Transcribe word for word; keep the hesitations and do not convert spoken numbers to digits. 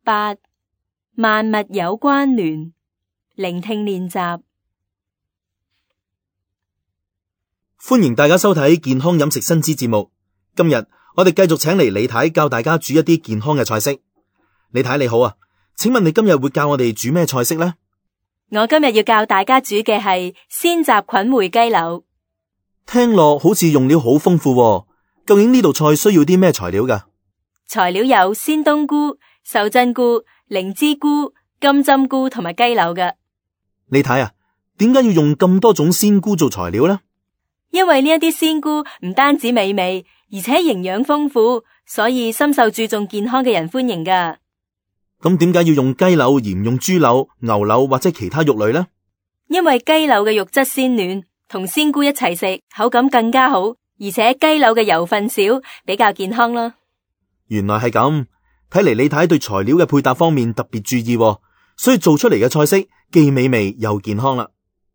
八、萬物有關聯，聆聽練習。歡迎大家收睇健康飲食新知節目。今日我哋繼續請嚟李太教大家煮一啲健康嘅菜式。李太你好啊，請問你今日會教我哋煮咩菜式呢？我今日要教大家煮嘅係鮮雜菌燴雞柳。聽落好似用料好豐富喎，究竟呢道菜需要啲咩材料㗎？材料有鮮冬菇、秀珍菇、靈芝菇、金針菇同埋雞柳㗎。李太啊，點解要用咁多種鮮菇做材料呢？因為呢一啲鮮菇唔單止美味，而且營養豐富，所以深受注重健康嘅人歡迎㗎。咁點解要用雞柳而唔用豬柳、牛柳或者其他肉類呢？因為雞柳嘅肉質鮮嫩，同鮮菇一齊食口感更加好，而且雞柳嘅油分少，比較健康啦。原來係咁，睇嚟李太對材料嘅配搭方面特別注意喎，所以做出嚟嘅菜式既美味又健康啦。